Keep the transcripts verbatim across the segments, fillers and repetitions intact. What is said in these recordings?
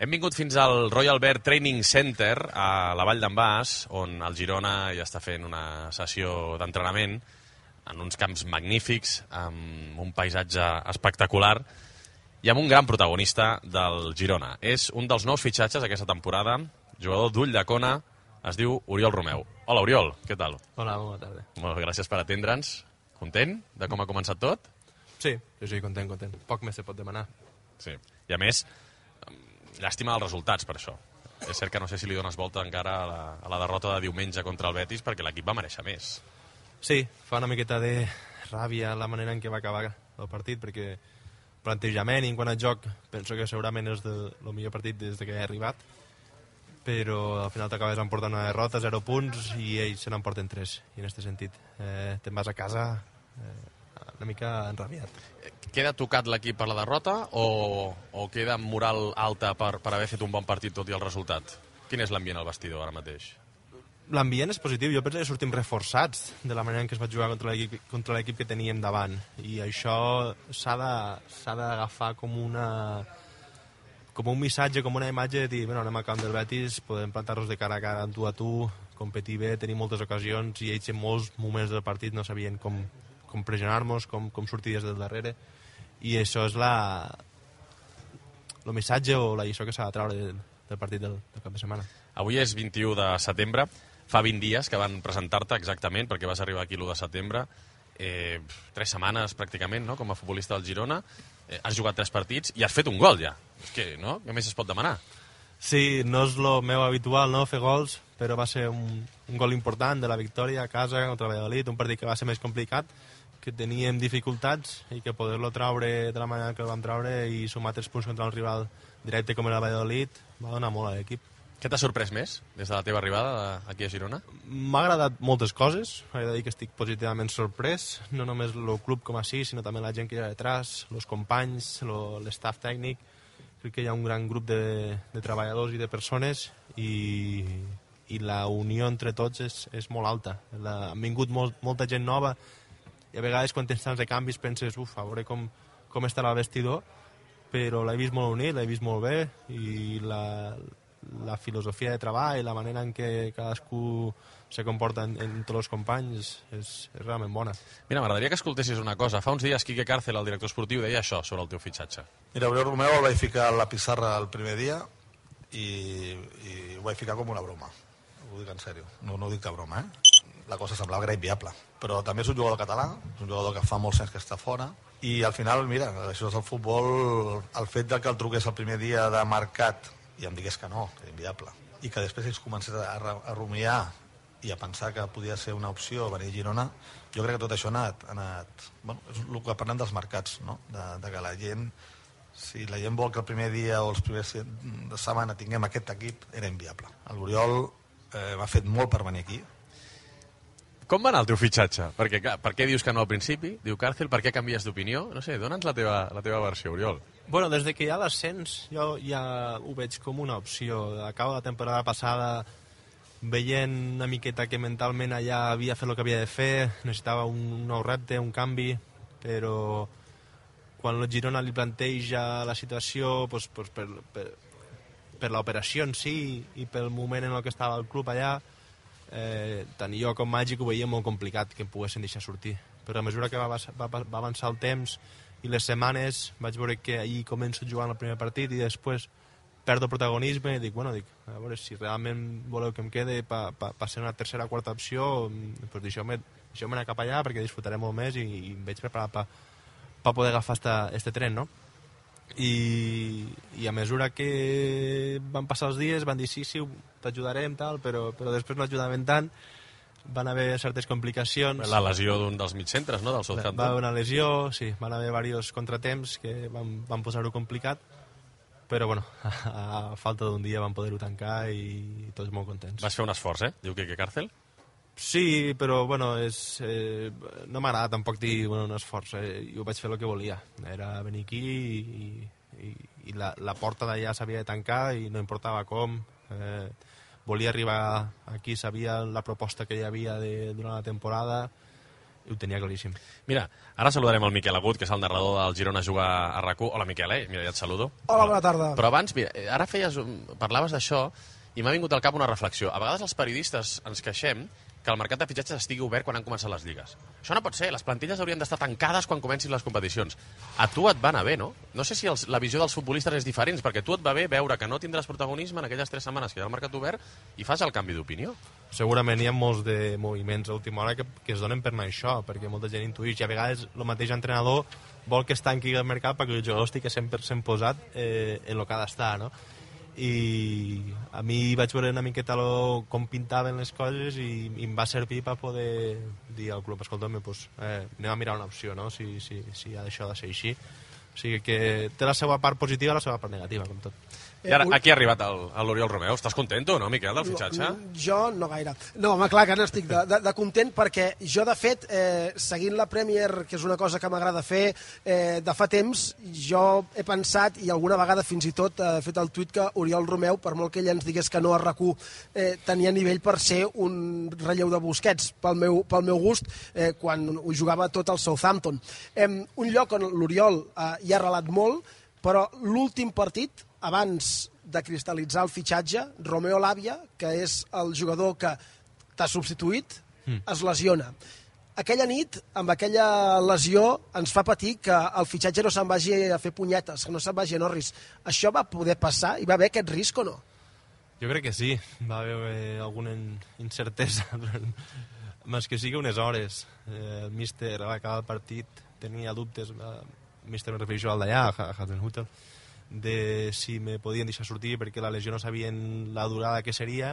Hem vingut fins al Royal Bear Training Center a la Vall d'en Bas, on el Girona ja està fent una sessió d'entrenament en uns camps magnífics, amb un paisatge espectacular i amb un gran protagonista del Girona. És un dels nous fitxatges aquesta temporada, jugador d'ull de cona, es diu Oriol Romeu. Hola, Oriol, què tal? Hola, bona tarda. Molt gràcies per atendre'ns. Content de com ha començat tot? Sí, jo sí, content, content. Poc més se pot demanar. Sí, i a més, llàstima dels resultats per això. És cert que no sé si li dones volta encara a la, a la derrota de diumenge contra el Betis, perquè l'equip va mereixer més. Sí, fa una miqueta de ràbia la manera en què va acabar el partit, perquè plantejament i en quant a joc penso que segurament és de, el millor partit des que he arribat, però al final t'acabes emportant una derrota, zero punts, i ells se n'emporten tres, i en aquest sentit eh, te'n vas a casa eh, una mica enrabiat. Queda tocat l'equip per la derrota o, o queda amb moral alta per, per haver fet un bon partit tot i el resultat? Quin és l'ambient al vestidor ara mateix? L'ambient és positiu. Jo penso que sortim reforçats de la manera en què es va jugar contra l'equip contra l'equip que teníem davant, i això s'ha de, s'ha d'agafar com una com un missatge, com una imatge de dir, bueno, anem al camp del Betis, podem plantar-nos de cara a cara tu a tu, competir bé, tenir moltes ocasions, i ells en molts moments del partit no sabien com, com pressionar-nos, com, com sortir des del darrere, i això és la el missatge o la lliçó que s'ha de treure del, del partit del, del cap de setmana. Avui és vint-i-u de setembre, fa vint dies que van presentar-te exactament, perquè vas arribar aquí l'u de setembre, eh, tres setmanes pràcticament, no?, com a futbolista del Girona, eh, has jugat tres partits i has fet un gol ja. És que, no?, què més es pot demanar? Sí, no és el meu habitual, no?, fer gols, però va ser un, un gol important de la victòria a casa contra el Valladolid, un partit que va ser més complicat, que teníem dificultats, i que poder-lo traure de la manera que el vam traure i sumar tres punts contra un rival directe com era el Valladolid va donar molt a l'equip. Què t'ha sorprès més des de la teva arribada aquí a Girona? M'ha agradat moltes coses, he de dir que estic positivament sorprès, no només el club com així, sinó també la gent que hi ha detrás, els companys, l'estaf tècnic. Crec que hi ha un gran grup de, de treballadors i de persones, i, i la unió entre tots és, és molt alta. La, han vingut molt, molta gent nova, i a vegades quan tens tants de canvis penses, uf, a veure com, com estarà el vestidor, però l'he vist molt unit, l'he vist molt bé, i la, la filosofia de treball i la manera en què cadascú se comporta en, entre els companys és, és realment bona. Mira, m'agradaria que escoltessis una cosa. Fa uns dies Quique Càrcel, el director esportiu, deia això sobre el teu fitxatge. Mira, Oriol Romeu el vaig ficar a la pissarra el primer dia i, i ho vaig ficar com una broma. Ho dic en sèrio, no, no ho dic de broma, eh? La cosa semblava que era inviable. Però també és un jugador català, és un jugador que fa molts anys que està fora, i al final, mira, això és el futbol, el fet de que el truqués el primer dia de mercat i em digués que no, que era inviable, i que després ells comencés a, a rumiar i a pensar que podia ser una opció venir a Girona, jo crec que tot això ha anat... Ha anat bueno, és el que parlem dels mercats, no? De, de que la gent, si la gent vol que el primer dia o els primers de setmana tinguem aquest equip, era inviable. L'Oriol eh, m'ha fet molt per venir aquí. Com va anar el teu fitxatge? Perquè, clar, per què dius que no al principi? Diu Càrcel, per què canvies d'opinió? No sé, dona'ns la teva, la teva versió, Oriol. Bueno, des de que hi ha l'ascens, jo ja ho veig com una opció. A cabo de la temporada passada, veient una miqueta que mentalment allà havia fet el que havia de fer, necessitava un nou repte, un canvi, però quan el Girona li planteja la situació, doncs, doncs per, per, per l'operació en si i pel moment en el que estava el club allà, eh, tant jo com Màgic ho veia molt complicat que em poguessin deixar sortir. Però a mesura que va, va, va avançar el temps i les setmanes, vaig veure que ahir començo jugant el primer partit i després perdo protagonisme i dic, bueno, dic, a veure, si realment voleu que em quede per pa, pa ser una tercera o quarta opció, doncs deixeu-me deixeu anar cap allà perquè disfrutaré molt més i, i em veig preparat per pa poder agafar esta, este tren, no? I, i a mesura que van passar els dies van dir sí, sí, t'ajudarem, tal, però, però després no ajudaven tant, van haver certes complicacions. La lesió d'un dels mitcentres, no?, del Southampton. Va haver una lesió, sí, van haver diversos contratemps que van, van posar-ho complicat, però bueno, a falta d'un dia van poder-ho tancar i tots molt contents. Vas fer un esforç, eh? Diu Quique Càrcel. Sí, però bueno, és, eh, no m'agrada tampoc dir bueno, un esforç, eh, jo vaig fer el que volia, era venir aquí i, i, i la, la porta d'allà s'havia de tancar i no importava com, eh, volia arribar aquí, sabia la proposta que hi havia de, durant la temporada ho tenia claríssim. Mira, ara saludarem el Miquel Agut, que és el narrador del Girona Jugar a RAC u. Hola, Miquel, eh? Mira, ja et saludo. Hola, bona tarda. Però abans, mira, ara feies, parlaves d'això i m'ha vingut al cap una reflexió. A vegades els periodistes ens queixem que el mercat de fitxatges estigui obert quan han començat les lligues. Això no pot ser, les plantilles haurien d'estar tancades quan comencin les competicions. A tu et va anar bé, no? No sé si els, la visió dels futbolistes és diferent, perquè a tu et va bé veure que no tindràs protagonisme en aquelles tres setmanes que hi ha el mercat obert i fas el canvi d'opinió. Segurament hi ha molts de moviments a última hora que, que es donen per anar això, perquè molta gent intuïx i a vegades el mateix entrenador vol que es tanqui el mercat perquè el jugador estigui cent per cent posat eh, en el que ha d'estar, no? I a mi vaig veure una miqueta lo, com pintaven les coses i, i em va servir per poder dir al club, escolta'm, pues, eh, anem a mirar una opció, no? si, si, si ha d'això de ser així. O sigui que té la seva part positiva i la seva part negativa, com tot. I ara, aquí ha arribat l'Oriol Romeu. Estàs content, no, Miquel, del fitxatge? No, jo no gaire. No, home, clar que n'estic de, de, de content perquè jo, de fet, eh, seguint la Premier, que és una cosa que m'agrada fer eh, de fa temps, jo he pensat, i alguna vegada fins i tot he fet el tuit que Oriol Romeu, per molt que ell ens digués que no a RAC u, eh, tenia nivell per ser un relleu de Busquets, pel meu, pel meu gust, eh, quan ho jugava tot al Southampton. Eh, un lloc on l'Oriol eh, hi ha relat molt, però l'últim partit, abans de cristal·litzar el fitxatge, Romeo Lavia, que és el jugador que t'ha substituït, mm. es lesiona. Aquella nit, amb aquella lesió, ens fa patir que el fitxatge no se'n vagi a fer punyetes, que no se'n vagi a Norris. Això va poder passar? Hi va haver aquest risc o no? Jo crec que sí. Va haver alguna incertesa, més que sigui unes hores. Eh, el míster, a l'acabar el partit, tenia dubtes, el míster me refereixo al d'allà, a Hasenhutel, de si me podien deixar sortir perquè la lesió no sabien la durada que seria.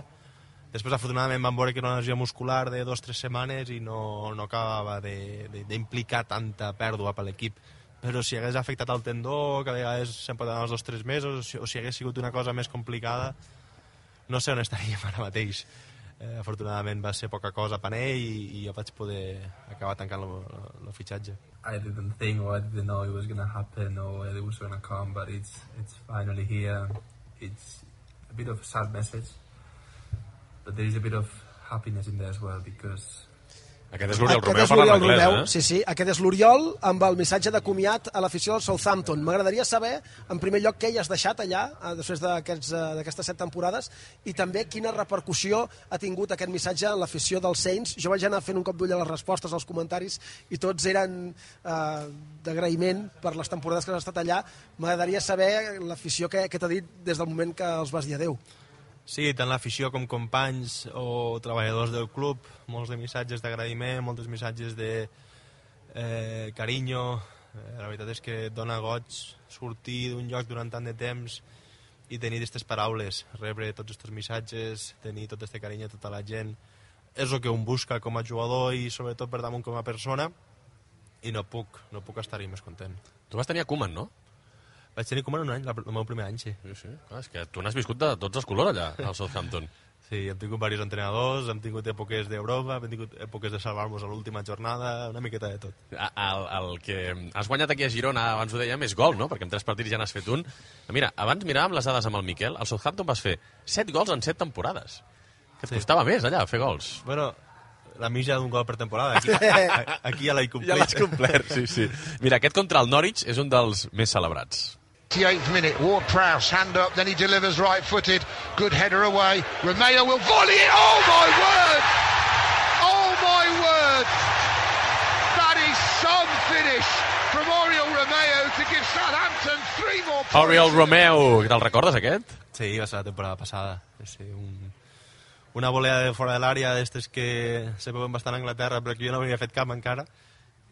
Després, afortunadament, vam veure que era una lesió muscular de dues o tres setmanes i no, no acabava d'implicar tanta pèrdua per l'equip. Però si hagués afectat el tendó, que a vegades se'n pot anar els dos o tres mesos, o si hagués sigut una cosa més complicada, no sé on estaríem ara mateix. Eh, afortunadament va ser poca cosa per ell i, i jo vaig poder acabar tancant el fitxatge. I didn't think or I didn't know it was going to happen or it was going to come, but it's it's finally here. It's a bit of a sad message, but there is a bit of happiness in there as well because Aquest és l'Oriol Romeu parlant anglès, eh? Sí, sí, aquest és l'Oriol amb el missatge de comiat a l'afició del Southampton. M'agradaria saber, en primer lloc, què hi has deixat allà després d'aquestes set temporades i també quina repercussió ha tingut aquest missatge en l'afició dels Saints. Jo vaig anar fent un cop d'ull a les respostes als comentaris i tots eren eh, d'agraïment per les temporades que has estat allà. M'agradaria saber l'afició que, que t'ha dit des del moment que els vas dir adeu. Sí, tant l'afició com companys o treballadors del club, molts de missatges d'agraïment, molts missatges de eh, carinyo. Eh, la veritat és que et dona goig sortir d'un lloc durant tant de temps i tenir aquestes paraules, rebre tots aquests missatges, tenir tot aquest carinyo a tota la gent. És el que un busca com a jugador i sobretot per damunt com a persona i no puc, no puc estar-hi més content. Tu vas tenir a Koeman, no? Vaig tenir Koeman un any, el meu primer any, sí. Sí, sí. Clar, és que tu n'has viscut de tots els colors allà, al Southampton. Sí, hem tingut diversos entrenadors, hem tingut èpoques d'Europa, hem tingut èpoques de salvar-nos a l'última jornada, una miqueta de tot. El, el que has guanyat aquí a Girona, abans ho dèiem, és gol, no? Perquè en tres partits ja n'has fet un. Mira, abans miràvem les dades amb el Miquel, al Southampton vas fer set gols en set temporades. Que et sí. Costava més, allà, fer gols. Bueno, la mitja d'un gol per temporada. Aquí, aquí ja l'he complert. Ja l'has complert, sí, sí. Mira, aquest contra el Norwich és un dels més celebrats. eighty-eighth minute, Ward-Prowse, hand up, then he delivers right-footed, good header away, Romeo will volley it, oh my word, oh my word, that is some finish from Oriol Romeo to give Southampton three more points. Oriol Romeo, te'l recordes aquest? Sí, va ser la temporada passada, sí, un, una volea de fora de l'àrea d'estes que se veuen bastant a Anglaterra però que jo no havia fet cap encara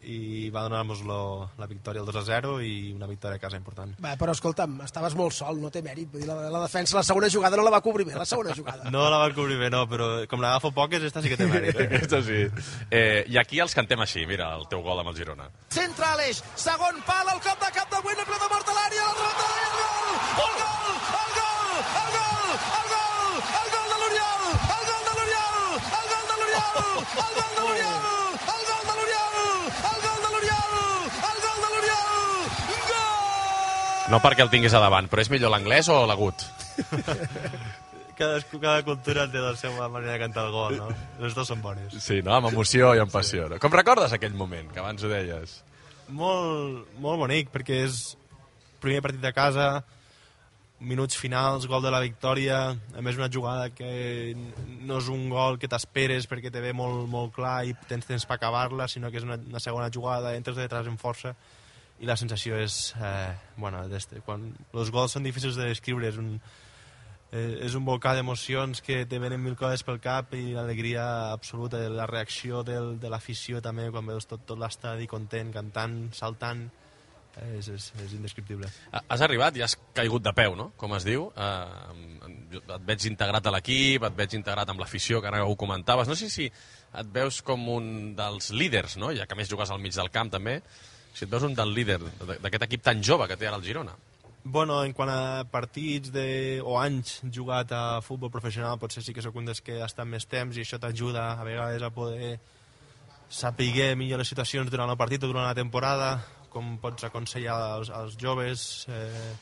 i va donar-nos la victòria el dos a zero i una victòria a casa important. Va, però escolta'm, estaves molt sol, no té mèrit. Vull dir, la, la defensa, la segona jugada no la va cobrir bé, la segona jugada. No la va cobrir bé, no, però com l'agafo poques, esta sí que té mèrit. Eh? Aquesta sí. Eh, I aquí els cantem així, mira, el teu gol amb el Girona. Centre Aleix, segon pal, el cop de cap de Güell, ple de mort a l'àrea, el remot de l'àrea, el gol! El gol! El gol! El gol! El gol de l'Oriol! El gol de l'Oriol! El gol de l'Oriol! El gol de l'Oriol! No perquè el tinguis a davant, però és millor l'anglès o l'agut? Cadascú, cada cultura té la seva manera de cantar el gol, no? Les dues són bones. Sí, no? Amb emoció i amb passió. No? Com recordes aquell moment, que abans ho deies? Molt, molt bonic, perquè és primer partit de casa, minuts finals, gol de la victòria, a més una jugada que no és un gol que t'esperes perquè te ve molt, molt clar i tens temps per acabar-la, sinó que és una, una segona jugada, entres de detrás en força, i la sensació és... Eh, bueno, quan els gols són difícils de descriure, és un... és un volcà d'emocions que te venen mil coses pel cap i l'alegria absoluta, la reacció del, de l'afició també, quan veus tot, tot l'estadi content, cantant, saltant, és, és, és indescriptible. Has arribat i has caigut de peu, no? Com es diu. Eh, et veig integrat a l'equip, et veig integrat amb l'afició, que ara ho comentaves. No sé si et veus com un dels líders, no? Ja que més jugues al mig del camp també, si et veus un del líder d'aquest equip tan jove que té ara el Girona. Bueno, en quant a partits de, o anys jugat a futbol professional, potser sí que sóc un dels que ha estat més temps i això t'ajuda a vegades a poder saber millor les situacions durant el partit o durant la temporada, com pots aconsellar als, als joves. Eh,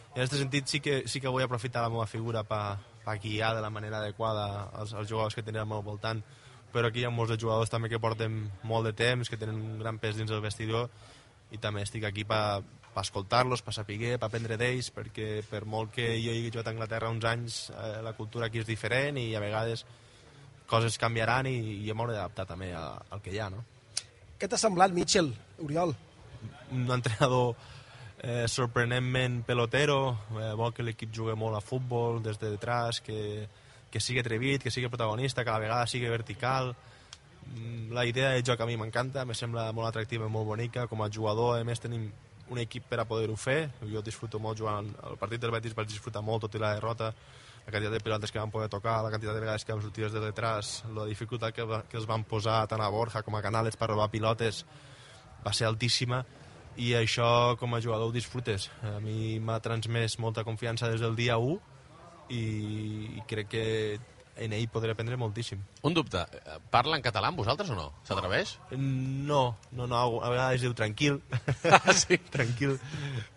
en aquest sentit sí que, sí que vull aprofitar la meva figura per pa guiar de la manera adequada als, als jugadors que tenen al meu voltant, però aquí hi ha molts de jugadors també que porten molt de temps, que tenen un gran pes dins del vestidor, i també estic aquí per per escoltar-los, per saber, per aprendre d'ells, perquè per molt que jo hagi jugat a Anglaterra uns anys, eh, la cultura aquí és diferent i a vegades coses canviaran i, i m'hauré d'adaptar també a, al que hi ha, no? Què t'ha semblat, Mitchell, Oriol? Un entrenador eh, sorprenentment pelotero, eh, vol que l'equip jugui molt a futbol des de detrás, que, que sigui atrevit, que sigui protagonista, que a la vegada sigui vertical. La idea de joc a mi m'encanta, me sembla molt atractiva i molt bonica. Com a jugador, a més, tenim un equip per a poder-ho fer. Jo disfruto molt jugant el partit del Betis, vaig disfrutar molt tot i la derrota, la quantitat de pilotes que van poder tocar, la quantitat de vegades que vam sortir des de detrás, la dificultat que, que els van posar tant a Borja com a Canales per robar pilotes va ser altíssima, i això com a jugador ho disfrutes. A mi m'ha transmès molta confiança des del dia u i, i crec que en ell podré aprendre moltíssim. Un dubte, parla en català amb vosaltres o no? S'atreveix? No, no, no, a vegades diu tranquil, sí. tranquil,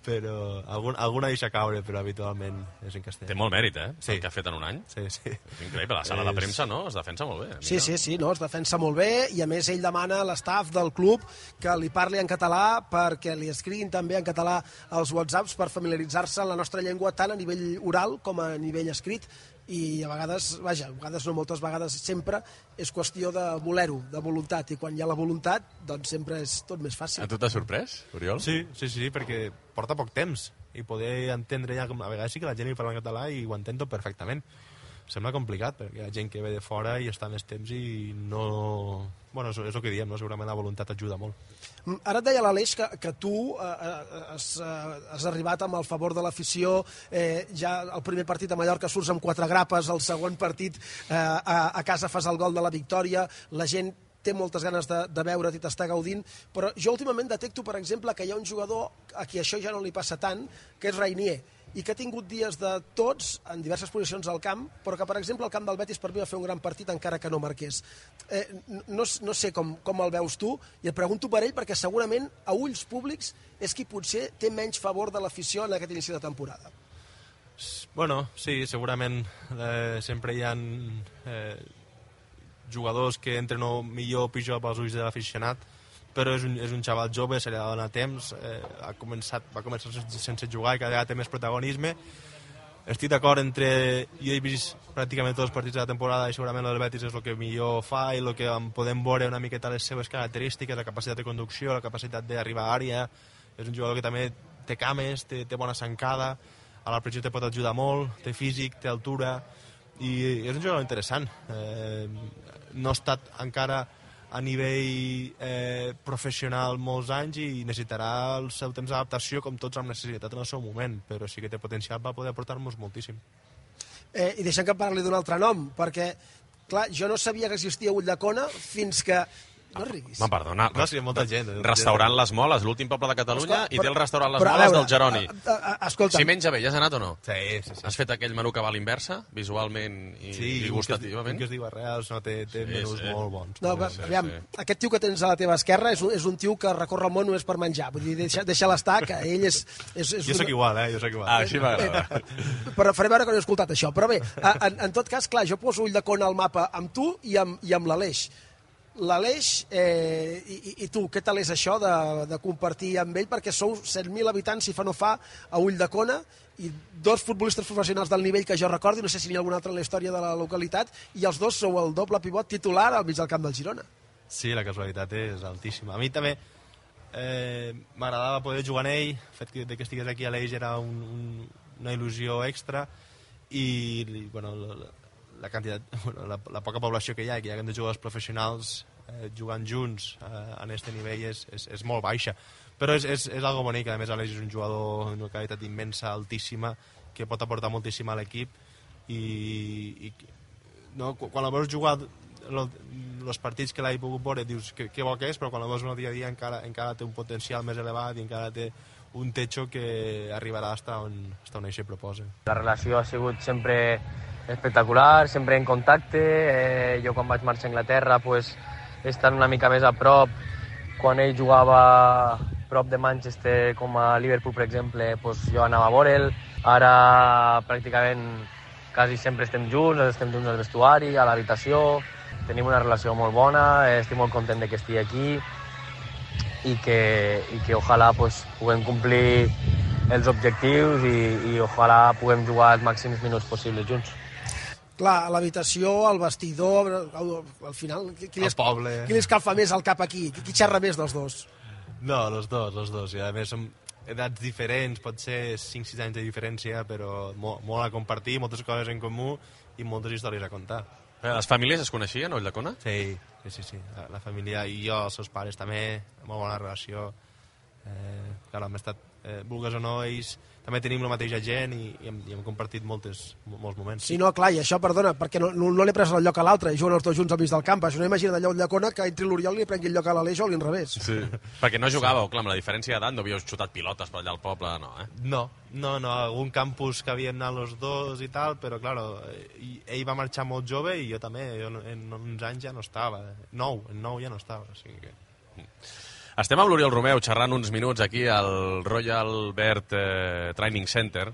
però algun, alguna deixa caure, però habitualment és en castellà. Té molt mèrit, eh? Sí. El que ha fet en un any. Sí, sí. És increïble, la sala és... de premsa, no? Es defensa molt bé. Sí, sí, sí, no, es defensa molt bé, i a més ell demana a l'estaf del club que li parli en català perquè li escriguin també en català els whatsapps per familiaritzar-se amb la nostra llengua tant a nivell oral com a nivell escrit, i a vegades, vaja, a vegades no, moltes vegades sempre és qüestió de voler-ho, de voluntat, i quan hi ha la voluntat, doncs sempre és tot més fàcil. A tu t'ha sorprès, Oriol? Sí, sí, sí, perquè porta poc temps i poder entendre ja, a vegades sí que la gent li parla en català i ho entén tot perfectament. Sembla complicat, perquè hi ha gent que ve de fora i està més temps i no... Bueno, és, és el que diem, no? Segurament la voluntat ajuda molt. Ara et deia l'Aleix que, que tu eh, has, eh, has arribat amb el favor de l'afició, eh, ja el primer partit a Mallorca surts amb quatre grapes, el segon partit eh, a, a casa fas el gol de la victòria, la gent té moltes ganes de, de veure't i t'està gaudint, però jo últimament detecto, per exemple, que hi ha un jugador a qui això ja no li passa tant, que és Reinier, i que ha tingut dies de tots en diverses posicions al camp, però que, per exemple, el camp del Betis per mi va fer un gran partit encara que no marqués. Eh, no, no sé com, com el veus tu, i et pregunto per ell perquè segurament a ulls públics és qui potser té menys favor de l'afició en aquest inici de temporada. Bueno, sí, segurament eh, sempre hi ha eh, jugadors que entren o millor o pitjor pels ulls de l'aficionat, però és un, és un xaval jove, se li ha de donar temps, eh, ha començat, va començar sense jugar i cada vegada té més protagonisme. Estic d'acord entre... Jo he vist pràcticament tots els partits de la temporada i segurament el Betis és el que millor fa i el que podem veure una miqueta les seves característiques, la capacitat de conducció, la capacitat d'arribar a àrea. És un jugador que també té cames, té, té bona zancada, a la pressió te pot ajudar molt, té físic, té altura, i és un jugador interessant. Eh, no ha estat encara a nivell eh, professional molts anys i necessitarà el seu temps d'adaptació com tots hem necessitat en el seu moment, però sí que té potencial per poder aportar-nos moltíssim. Eh, I deixem que parli d'un altre nom, perquè, clar, jo no sabia que existia Ulldecona fins que No riguis. Me perdona. No, sí, molta gent. Restaurant Les Moles, l'últim poble de Catalunya, Escolta, i té el restaurant Les però, a Moles veure, del Jeroni. a- a- a- Escolta, Si menja bé, ja has anat o no? Sí, sí, sí. Has fet aquell menú que va a l'inversa, visualment i, Sí, i gustativament? un que es diu Arrels, no, té, té Sí, menús sí. molt bons. no, molt sí, bons. aviam, sí. aquest tio que tens a la teva esquerra és un, és un tio que recorre el món només per menjar. Vull dir, deixa, deixa l'estar, que ell és... és, és Jo sóc igual, eh? Jo sóc igual. Ah, així m'agrada. Però faré veure que no he escoltat això. Però bé, en, en tot cas, clar, jo poso Ulldecona al mapa amb tu i amb, i amb l'Aleix. L'Aleix, eh, i, i tu, què tal és això de, de compartir amb ell? Perquè sou set mil habitants, si fa no fa, a Ulldecona, i dos futbolistes professionals del nivell que jo recordi, no sé si n'hi ha algun altre en la història de la localitat, i els dos sou el doble pivot titular al mig del camp del Girona. Sí, la casualitat és altíssima. A mi també eh, m'agradava poder jugar en ell, el fet que, de que estigués aquí a l'Eix era un, un, una il·lusió extra, i bueno, la, la, quantitat, bueno, la, la poca població que hi ha, que hi ha de jugadors professionals eh, jugant junts eh, en aquest nivell és, és, és molt baixa. Però és, és, és algo bonic, a més Aleix és un jugador d'una qualitat immensa, altíssima, que pot aportar moltíssim a l'equip, i, i no, quan la veus jugar els partits que l'he pogut veure dius que, que bo que és, però quan la veus en el dia a dia encara, encara té un potencial més elevat i encara té un techo que arribarà fins on, fins on això proposa. La relació ha sigut sempre espectacular, sempre en contacte. Eh, jo quan vaig marxar a Anglaterra pues, estant una mica més a prop, quan ell jugava prop de Manchester, com a Liverpool, per exemple, pues, jo anava a veure'l. Ara pràcticament quasi sempre estem junts, estem junts al vestuari, a l'habitació. Tenim una relació molt bona, estic molt content de que estigui aquí i que, i que ojalà pues, puguem complir els objectius i, i ojalà puguem jugar els màxims minuts possibles junts. Clar, a l'habitació, al vestidor, al, al final... Qui, qui, li Al poble. Qui li escalfa més el cap aquí? Qui, qui xerra més dels dos? No, els dos, els dos. I a més som edats diferents, pot ser cinc sis anys de diferència, però molt, molt a compartir, moltes coses en comú i moltes històries a contar. Les famílies es coneixien, a Ulldecona? Sí, sí, sí, sí. La, la família i jo, els seus pares també, molt bona relació. Eh, clar, hem estat, eh, vulgues o no, ells també tenim la mateixa gent i, i, hem, i hem compartit moltes, molts moments. Sí, no, clar, i això, perdona, perquè no, no, no li he pres el lloc a l'altre, i juguen els dos junts al mig del camp. Això no imagina d'allò Ulldecona que entri l'Oriol i li prengui el lloc a l'Aleix o a l'inrevés. Sí. Perquè no jugàveu, clar, amb la diferència d'edat, no havíeu xutat pilotes per allà al poble, no, eh? No, no, no, algun campus que havien anat els dos i tal, però, claro, ell va marxar molt jove i jo també, jo en uns anys ja no estava, nou, en nou ja no estava, o sigui que... Estem amb l'Oriol Romeu xerrant uns minuts aquí al Royal Bert eh, Training Center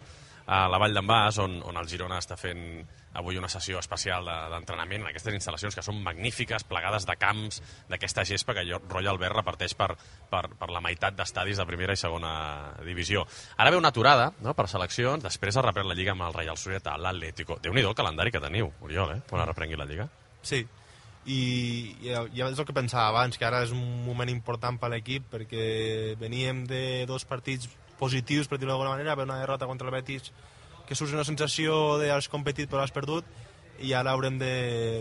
a la Vall d'en Bas, on, on el Girona està fent avui una sessió especial d'entrenament en aquestes instal·lacions que són magnífiques, plegades de camps d'aquesta gespa que Royal Bert reparteix per, per, per la meitat d'estadis de primera i segona divisió. Ara ve una aturada, no?, per seleccions, després ha reprès la Lliga amb el Real Societat, l'Atlético. Déu-n'hi-do el calendari que teniu, Oriol, eh?, quan reprengui la Lliga. Sí, i ja és el que pensava abans, que ara és un moment important per l'equip perquè veníem de dos partits positius, per dir-ho d'alguna manera, per una derrota contra el Betis que surt una sensació d'has competit però has perdut, i ara haurem de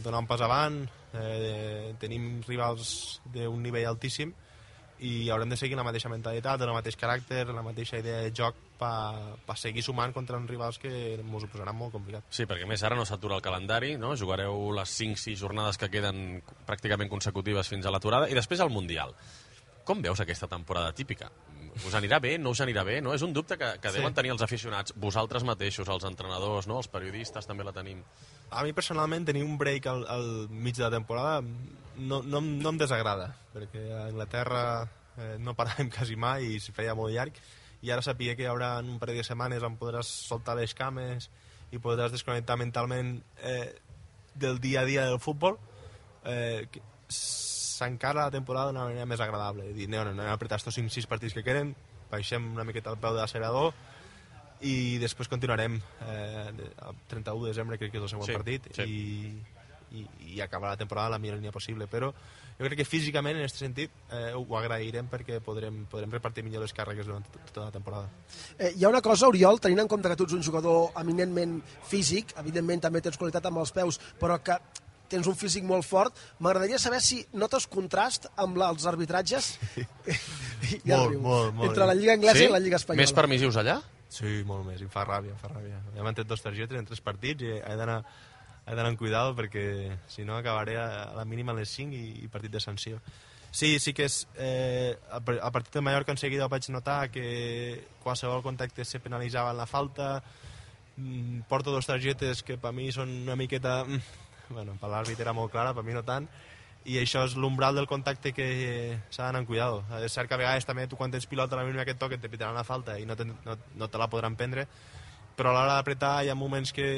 donar un pas avant. Eh, tenim rivals d'un nivell altíssim i haurem de seguir la mateixa mentalitat, el mateix caràcter, la mateixa idea de joc per pa seguir sumant contra uns rivals que ens ho posaran molt complicat. Sí, perquè més ara no s'atura el calendari, no? Jugareu les cinc sis jornades que queden pràcticament consecutives fins a l'aturada, i després el Mundial. Com veus aquesta temporada típica? Us anirà bé? No us anirà bé? No? És un dubte que, que Sí. deuen tenir els aficionats, vosaltres mateixos, els entrenadors, no? Els periodistes també la tenim. A mi personalment tenir un break al, al mig de la temporada no, no, no em desagrada, perquè a Anglaterra eh, no paràvem quasi mai i es feia molt llarg, i ara sabia que hi haurà un parell de setmanes on podràs soltar les cames i podràs desconnectar mentalment eh, del dia a dia del futbol, eh, que s'encara la temporada d'una manera més agradable. Dir, no, no, no, apretar estos cinc sis partits que queden, baixem una miqueta al peu de l'accelerador i després continuarem eh, el trenta-u de desembre, crec que és el següent Sí, partit, sí. i, i, i acabar la temporada a la millor línia possible. Però jo crec que físicament, en aquest sentit, eh, ho agrairem perquè podrem, podrem repartir millor les càrregues durant tot- tota la temporada. Eh, hi ha una cosa, Oriol, tenint en compte que tu ets un jugador eminentment físic, evidentment també tens qualitat amb els peus, però que tens un físic molt fort, m'agradaria saber si notes contrast amb la, els arbitratges ja Molt, riu. molt, molt. entre la Lliga Anglesa Sí? i la Lliga Espanyola. Més permissius allà? Sí, molt més, em fa ràbia, em fa ràbia. Ja m'han tret dos targetes en tres partits i he d'anar he d'anar amb cuidado perquè si no acabaré a la mínima a les cinc i, i partit de sanció. Sí, sí que és... Eh, a partir de Mallorca en seguida vaig notar que qualsevol contacte se penalitzava en la falta. Mm, porto dos targetes que per mi són una miqueta... Bueno, per l'àrbit era molt clara, per mi no tant. I això és l'umbral del contacte que s'ha d'anar amb cuidado. És cert que a vegades també tu quan tens pilota a la mínima que et toquen te pitaran la falta i no te, no, no te la podran prendre, però a l'hora d'apretar hi ha moments que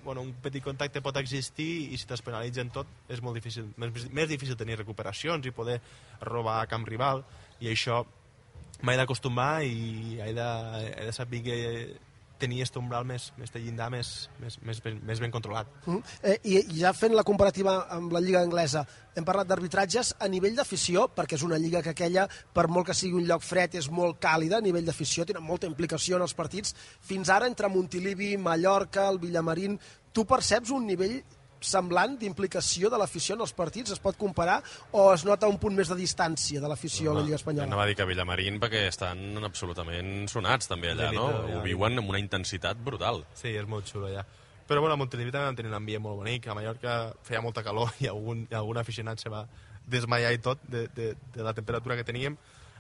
bueno, un petit contacte pot existir i si t'es penalitzen tot és molt difícil, més, més difícil tenir recuperacions i poder robar a camp rival, i això m'he d'acostumar i he de, he de saber que tenir aquest umbral més, més de llindar més, més, més, ben, més ben controlat. Uh-huh. eh, I ja fent la comparativa amb la lliga anglesa, hem parlat d'arbitratges a nivell d'afició, perquè és una lliga que aquella, per molt que sigui un lloc fred, és molt càlida a nivell d'afició, tenen molta implicació en els partits. Fins ara, entre Montilivi, Mallorca, el Villamarín, tu perceps un nivell semblant d'implicació de l'afició en els partits? Es pot comparar o es nota un punt més de distància de l'afició a la Lliga Espanyola? No va dir que Villamarín perquè estan absolutament sonats també allà, no? Ho viuen amb una intensitat brutal. Sí, és molt xulo allà. Però bueno, a Montilivi també van tenir un ambient molt bonic. A Mallorca feia molta calor i algun, algun aficionat se va desmaiar i tot de, de, de la temperatura que teníem.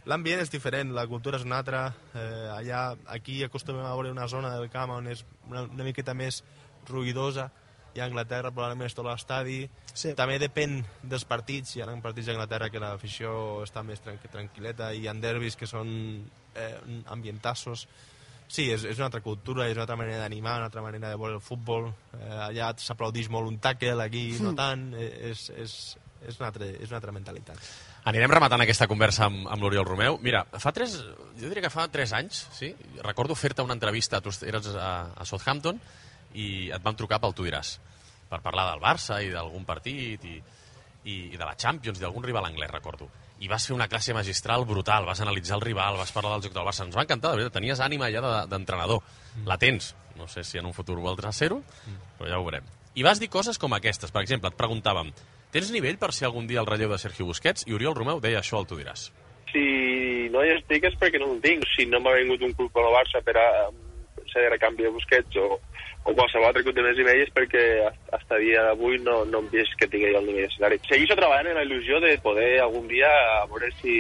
L'ambient és diferent, la cultura és una altra. Eh, allà, aquí acostumem a veure una zona del camp on és una, una miqueta més ruïdosa. I a Anglaterra probablement és tot l'estadi. Sí. També depèn dels partits. Hi ha partits d'Anglaterra que l'afició està més tranqu tranquil·leta i hi ha derbis que són eh, ambientassos. Sí, és, és una altra cultura, és una altra manera d'animar, una altra manera de veure el futbol. Eh, allà s'aplaudeix molt un tackle, aquí mm. no tant. Eh, és, és, és, una altra, és una altra mentalitat. Anirem rematant aquesta conversa amb, amb l'Oriol Romeu. Mira, fa tres, jo diria que fa tres anys, sí? Recordo fer-te una entrevista, tu eres a, a Southampton, i et vam trucar pel Tu diràs, per parlar del Barça i d'algun partit i, i, i de la Champions i d'algun rival anglès, recordo. I vas fer una classe magistral brutal, vas analitzar el rival, vas parlar del joc del Barça. Ens va encantar, de veritat, tenies ànima ja d'entrenador. De, mm. La tens, no sé si en un futur voldràs ser-ho, mm. però ja ho veurem. I vas dir coses com aquestes, per exemple, et preguntàvem, tens nivell per ser algun dia el relleu de Sergio Busquets? I Oriol Romeu deia això al Tu diràs. Si no hi estic és perquè no ho tinc. Si no m'ha vingut un club com el Barça per a ser de recanvi de Busquets o o qualsevol altre club de més nivell és perquè fins a dia d'avui no, no hem vist que tingui el nivell necessari. Segueixo treballant en la il·lusió de poder algun dia a veure si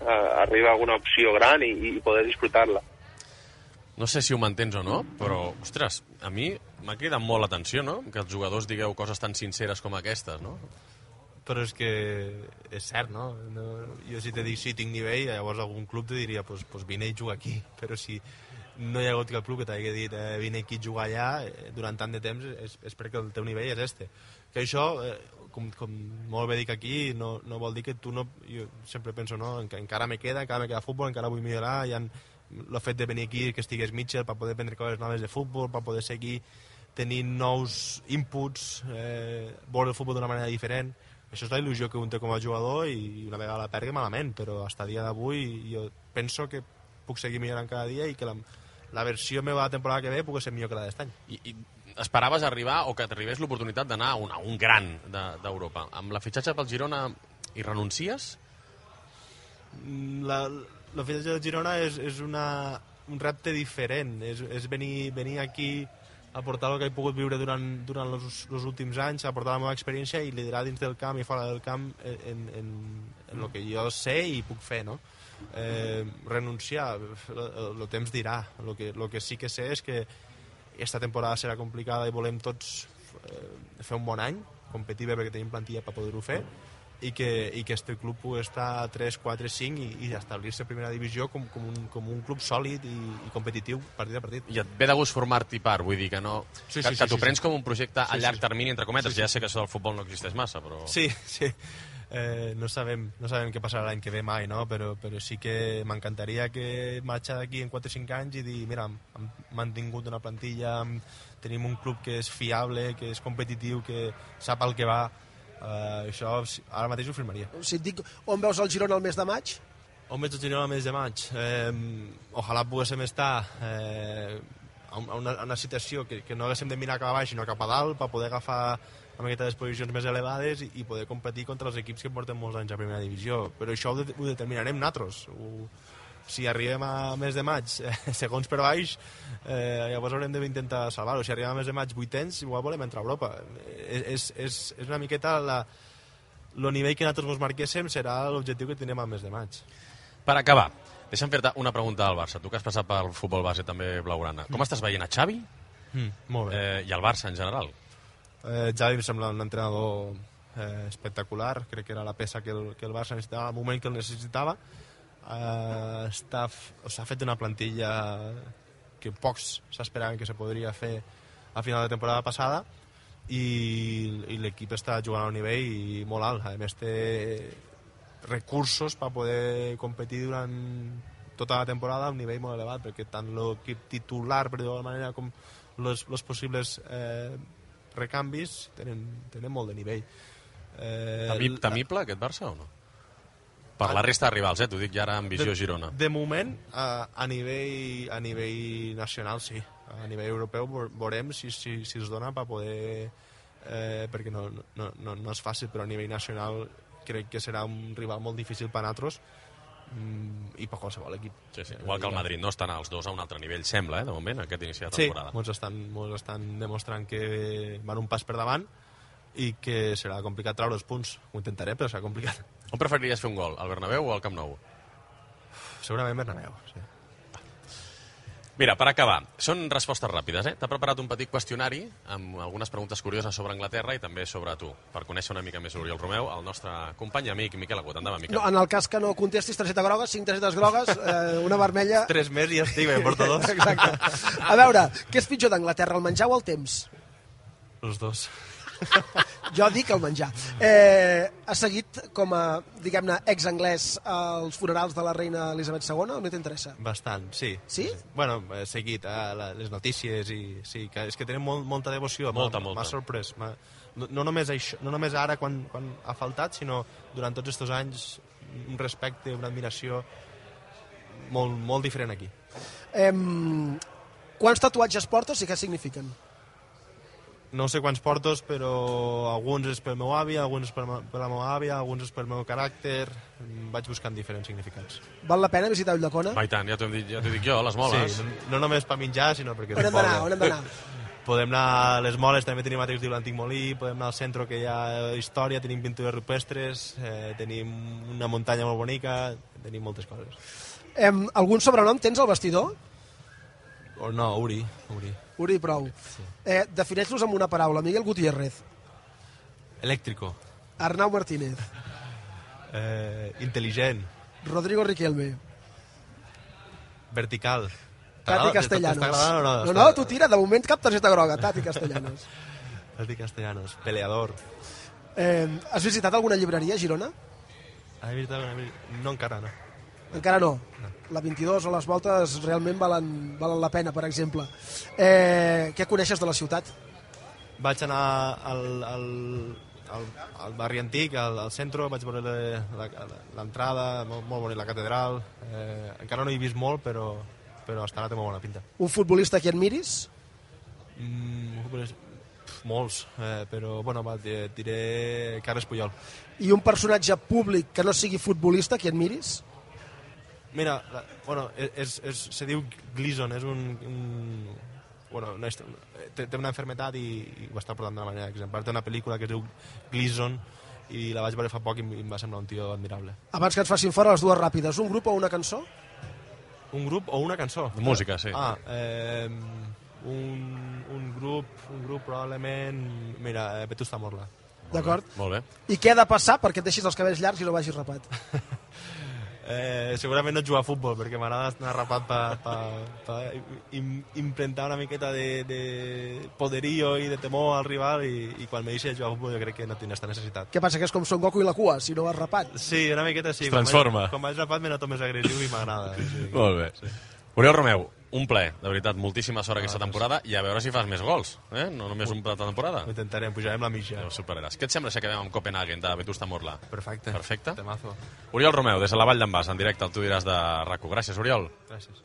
uh, arriba alguna opció gran i, i poder disfrutar-la. No sé si ho mantens o no, però, ostres, a mi m'ha cridat molt l'atenció, no?, que els jugadors digueu coses tan sinceres com aquestes, no? Però és que és cert, no? no jo si te dic si tinc nivell, llavors algun club te diria pues, pues vine i juga aquí, però si no hi ha hagut cap club que t'hagi dit eh, vine aquí a jugar allà eh, durant tant de temps és, és perquè el teu nivell és este. Que això, eh, com, com molt bé dic aquí, no, no vol dir que tu no... Jo sempre penso, no, que encara me queda, encara me queda futbol, encara vull millorar, hi ha el fet de venir aquí, que estigués Mitchell, per poder prendre coses noves de futbol, per poder seguir tenint nous inputs, eh, veure el futbol d'una manera diferent. Això és la il·lusió que un té com a jugador i una vegada la perdi malament, però fins a dia d'avui jo penso que puc seguir millorant cada dia i que la, la versió meva de la temporada que ve pugui ser millor que la d'este any. I, I esperaves arribar o que t'arribés l'oportunitat d'anar a un, a un gran d'Europa. De, amb la fitxatge pel Girona hi renuncies? La, la fitxatge del Girona és, és una, un repte diferent. És, és venir, venir aquí a portar el que he pogut viure durant, durant els, els últims anys, a portar la meva experiència i liderar dins del camp i fora del camp en, en, en el que jo sé i puc fer, no? Eh, renunciar, el temps dirà. El que, lo que sí que sé és que esta temporada serà complicada i volem tots eh, fer un bon any, competir bé perquè tenim plantilla per poder-ho fer i que, i que este club pugui estar a tres, quatre, cinc i, i establir-se a primera divisió com, com, un, com un club sòlid i, i competitiu partit a partit. I et ve de gust formar-t'hi part, vull dir que no... Sí, sí, que, sí, que t'ho sí, prens sí. com un projecte a sí, llarg sí. termini, entre cometes. Sí, sí. Ja sé que això del futbol no existeix massa, però... Sí, sí. Eh, no sabem, no sabem què passarà l'any que ve mai, no? però, però sí que m'encantaria que marxar d'aquí en quatre o cinc anys i dir, mira, hem mantingut una plantilla, tenim un club que és fiable, que és competitiu, que sap el que va. Uh, això ara mateix ho firmaria. Si et dic on veus el Girona el mes de maig? On veig el Girona el mes de maig? Eh, ojalà poguéssim estar eh, a una, a una situació que, que no haguéssim de mirar cap a baix sinó cap a dalt per poder agafar una miqueta de posicions més elevades i, i poder competir contra els equips que porten molts anys a primera divisió, però això ho, de, ho determinarem nosaltres. Ho, si arribem a mes de maig, eh, segons per baix, eh, llavors haurem d'intentar salvar-ho. Si arribem a mes de maig vuitens, igual volem entrar a Europa. Eh, és, és, és una miqueta la, el nivell que nosaltres ens marquéssim serà l'objectiu que tenim al mes de maig. Per acabar, deixa'm fer-te una pregunta al Barça. Tu que has passat pel futbol base també blaugrana. Com estàs veient a Xavi Mm, molt bé. eh, i al Barça en general? Eh, Xavi em sembla un entrenador eh, espectacular. Crec que era la peça que el, que el Barça necessitava al moment que el necessitava. Eh, està, s'ha fet una plantilla que pocs s'esperaven que se podria fer a final de temporada passada i, i l'equip està jugant a un nivell molt alt. A més té recursos per poder competir durant tota la temporada a un nivell molt elevat, perquè tant l'equip titular, per dir-ho d'alguna manera, com els possibles eh, recanvis tenen, tenen molt de nivell. Eh, Temip, temible aquest Barça o no? Per la resta de rivals, eh? T'ho dic ja ara amb visió de, Girona. De moment, a, a, nivell, a nivell nacional, sí. A nivell europeu veurem si, si, si es dona per poder... Eh, perquè no, no, no, no és fàcil, però a nivell nacional crec que serà un rival molt difícil per a nosaltres mm, i per qualsevol equip. Sí, sí. Igual que el Madrid, no estan els dos a un altre nivell, sembla, eh, de moment, aquest inici de temporada. Sí, molts estan, molts estan demostrant que van un pas per davant i que serà complicat treure els punts. Ho intentaré, però serà complicat. On preferiries fer un gol, al Bernabéu o al Camp Nou? Segurament Bernabéu, sí. Mira, per acabar, són respostes ràpides, eh? T'ha preparat un petit qüestionari amb algunes preguntes curioses sobre Anglaterra i també sobre tu, per conèixer una mica més Oriol Romeu, el nostre company i amic Miquel Agut. Endavant, Miquel. No, en el cas que no contestis targeta groga, cinc targetes grogues, eh, una vermella... Tres més i ja estic, em porto dos. Exacte. A veure, què és pitjor d'Anglaterra, el menjar o el temps? Els dos. Jo dic el menjar. Eh, ha seguit com a, diguem-ne, ex-anglès als funerals de la reina Elisabet segona o no t'interessa? Bastant, sí. Sí? Bueno, he seguit eh, la, les notícies i sí, que és que tenen molt, molta devoció. Molta, molta. M'ha sorprès. No, no, només això, no només ara quan, quan ha faltat, sinó durant tots aquests anys un respecte, una admiració molt, molt diferent aquí. Eh, quants tatuatges portes i què signifiquen? No sé quants portos, però alguns és pel meu avi, alguns és per, per la meva àvia, alguns és pel meu caràcter. Vaig buscant diferents significats. Val la pena visitar Ulldecona? Va, i tant, ja t'ho dit, ja t'ho dic jo, les moles. Sí, no, no només per menjar, sinó perquè... On hem d'anar, on hem d'anar? Podem anar a les moles, també tenim altres diu l'Antic Molí, podem anar al centre que hi ha història, tenim pintures rupestres, eh, tenim una muntanya molt bonica, tenim moltes coses. Eh, algun sobrenom tens al vestidor? O no, Uri. Uri. Uri, prou. Sí. Eh, defineix-los amb una paraula. Miguel Gutiérrez. Eléctrico. Arnau Martínez. Eh, intel·ligent. Rodrigo Riquelme. Vertical. Tati Castellanos. T'està agradant o no? No, no, tu tira, de moment cap targeta groga. Tati Castellanos. Tati Castellanos. Peleador. Eh, has visitat alguna llibreria a Girona? Has visitat alguna... No, encara no. Encara no. no. La vint-i-dos o les voltes realment valen, valen la pena, per exemple. Eh, què coneixes de la ciutat? Vaig anar al, al, al, al barri antic, al, al centre, vaig veure l'entrada, molt, molt bonic, la catedral. Eh, encara no he vist molt, però, però hasta ara té molt bona pinta. Un futbolista que admiris? Mm, pf, molts, eh, però bueno, va, diré Carles Puyol. I un personatge públic que no sigui futbolista que admiris? Mira, la, bueno, és, és, se diu Gleason, és un... un bueno, no és, té, té una enfermetat i, i ho està portant d'una manera exemplar. Té una pel·lícula que es diu Gleason i la vaig veure fa poc i em va semblar un tio admirable. Abans que ens facin fora les dues ràpides, un grup o una cançó? Un grup o una cançó? De música, sí. Ah, eh, un, un grup, un grup probablement... Mira, eh, Vetusta Morla. D'acord. Molt bé. I què ha de passar perquè et deixis els cabells llargs i no vagis rapat? Eh, segurament no jugar a futbol, perquè m'agrada anar rapat per pa, pa imprentar una miqueta de, de poderío i de temor al rival i, i quan me deixi de jugar a futbol jo crec que no tinc aquesta necessitat. Què passa, que és com Son Goku i la cua, si no vas rapat? Sí, una miqueta sí. Es transforma. Quan vaig, quan vaig rapat me noto més agressiu i m'agrada. Sí. Molt bé. Sí. Oriol Romeu, un ple, de veritat, moltíssima sort aquesta temporada i a veure si fas més gols, eh? No només un plat de temporada. Ho intentarem, pujarem la mitja. Ho superaràs. Què et sembla si acabem amb Copenhagen, de Vetusta Morla? Perfecte. Perfecte. Temazo. Oriol Romeu, des de la Vall d'en Bas, en directe, el tu diràs de RAC u. Gràcies, Oriol. Gràcies.